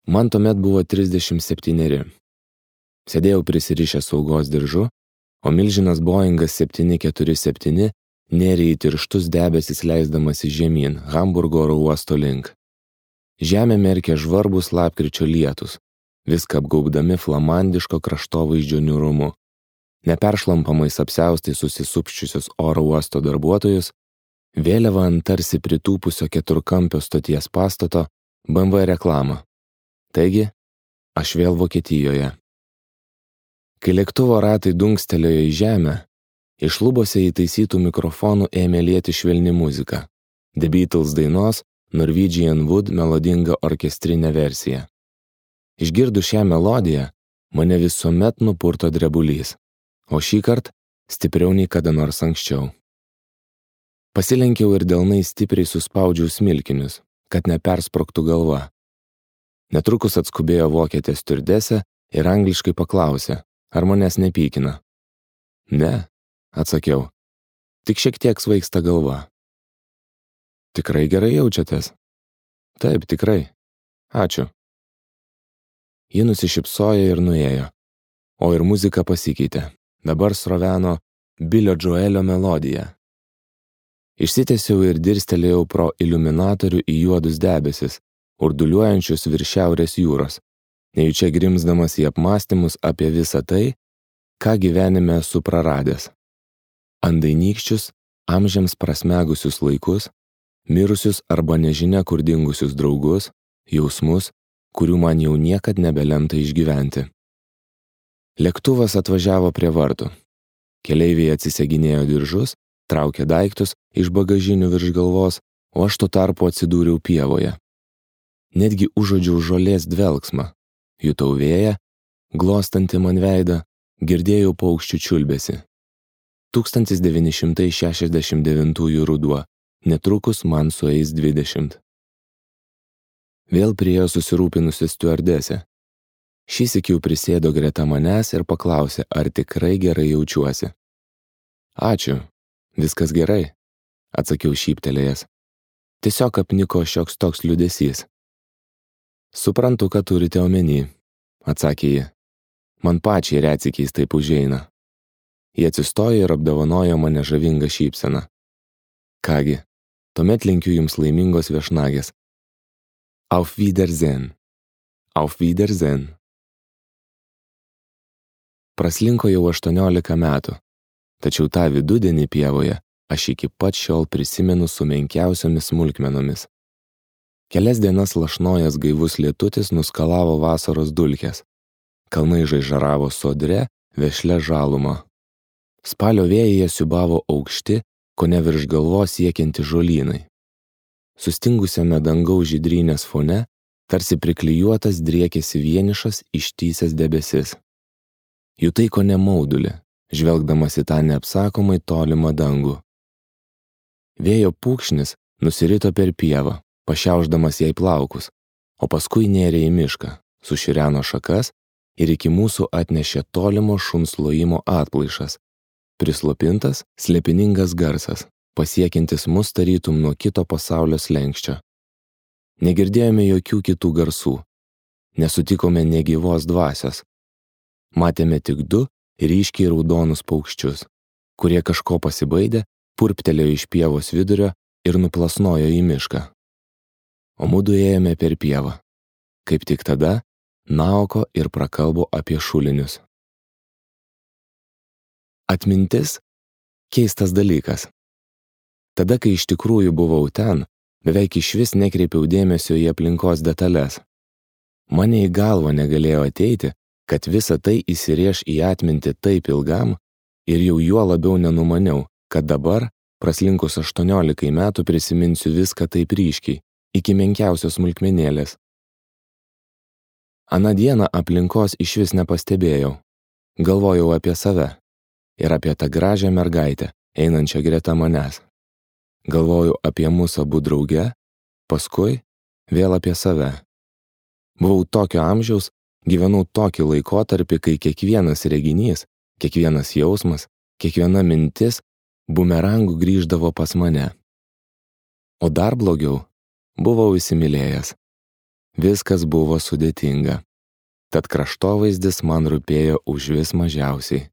Man tuomet buvo 37. Sėdėjau prisirišęs saugos diržu, o milžinas Boeingas 747 nėrė į tirštus debesis leisdamasi žemyn Hamburgo oro uosto link. Žemė merkė žvarbus lapkričio lietus, viską apgaubdami flamandiško kraštovaizdžio niūrumu. Neperšlampamais apsiaustai susisupščiusius oro uosto darbuotojus, vėliava ant tarsi pritūpusio keturkampio stoties pastato BMW reklamą. Taigi, aš vėl Vokietijoje. Kai lėktuvo ratai dunkstelėjo į žemę, iš lubose įtaisytų mikrofonų ėmė lieti švelni muzika. The Beatles dainos Norwegian Wood melodinga orkestrinė versija. Išgirdus šią melodiją, mane visuomet nupurto drebulys, o šįkart stipriau nei kada nors anksčiau. Pasilenkiau ir delnais stipriai suspaudžiau smilkinius, kad nepersprogtų galva. Netrukus atskubėjo vokietė stiuardesė ir angliškai paklausė, ar manęs nepykina. Ne, atsakiau, tik šiek tiek svaigsta galva. Tikrai gerai jaučiatės? Taip, tikrai. Ačiū. Ji nusišypsojo ir nuėjo, o ir muzika pasikeitė. Dabar sroveno Bilio Joelio melodija. Išsitiesiau ir dirstelėjau pro iliuminatorių į juodus debesis, urduliuojančius virš Šiaurės jūros, nejučia grimzdamas į apmąstymus apie visą tai, ką gyvenime esu praradęs. Andainykščius, amžiams prasmegusius laikus, mirusius arba nežinia kur dingusius draugus, jausmus, kurių man jau niekad nebelemta išgyventi. Lėktuvas atvažiavo prie vartų. Keleiviai atsiseginėjo diržus, traukė daiktus iš bagažinių virš galvos, o aš tuo tarpu atsidūriau pievoje. Netgi užuodžiau žolės dvelksmą, jutau vėją, glostantį man veidą, girdėjau paukščių čiulbesį. 1969 ruduo, netrukus man sueis 20. Vėl priėjo susirūpinusi stiuardesė. Šįsyk jau prisėdo greta manęs ir paklausė, ar tikrai gerai jaučiuosi. Ačiū, viskas gerai, atsakiau šyptelėjęs. Tiesiog apniko šioks toks liūdesys. Suprantu, ką turite omeny, atsakė ji. Man pačiai retsykiais taip užeina. Ji atsistojo ir apdovanojo mane žavingą šypseną. Kągi, tuomet linkiu jums laimingos viešnagės. Auf Wiedersehen. Auf Wiedersehen. Praslinko jau 18 metų, tačiau tą vidudienį pievoje aš iki pat šiol prisimenu su menkiausiomis smulkmenomis. Kelias dienas lašnojęs gaivus lietutis nuskalavo vasaros dulkes. Kalnai žaižaravo sodre, vešlia žaluma. Spalio vėjyje siūbavo aukšti, kone virš galvos siekianti žolynai. Sustingusiame dangaus žydrynės fone tarsi priklijuotas driekėsi vienišas ištįsęs debesis. Jutai kone maudulį, žvelgdamas į tą neapsakomai tolimą dangų. Vėjo pūkšnis nusirito per pievą, pašiaušdamas jai plaukus, o paskui nėrė į mišką, sušireno šakas ir iki mūsų atnešė tolimo šuns lojimo atplaišas, prislopintas, slėpiningas garsas, pasiekiantis mus tarytum nuo kito pasaulio slenksčio. Negirdėjome jokių kitų garsų, nesutikome negyvos dvasios. Matėme tik 2 ryškiai raudonus paukščius, kurie kažko pasibaidė, purptelėjo iš pievos vidurio ir nuplasnojo į mišką. O mudu ėjome per pievą. Kaip tik tada Naoko ir prakalbo apie šulinius. Atmintis – keistas dalykas. Tada, kai iš tikrųjų buvau ten, beveik išvis nekreipiau dėmesio į aplinkos detalės. Mane į galvą negalėjo ateiti, kad visa tai įsirėš į atmintį taip ilgam ir jau juo labiau nenumaniau, kad dabar, praslinkus 18 metų, prisiminsiu viską taip ryškiai, iki menkiausios smulkmenėlės. Aną dieną aplinkos išvis nepastebėjau. Galvojau apie save ir apie tą gražią mergaitę, einančią greta manęs. Galvojau apie mus abu drauge, paskui vėl apie save. Buvau tokio amžiaus, gyvenau tokį laikotarpį, kai kiekvienas reginys, kiekvienas jausmas, kiekviena mintis bumerangų grįždavo pas mane. O dar blogiau, buvau įsimylėjęs. Viskas buvo sudėtinga. Tad kraštovaizdis man rūpėjo užvis mažiausiai.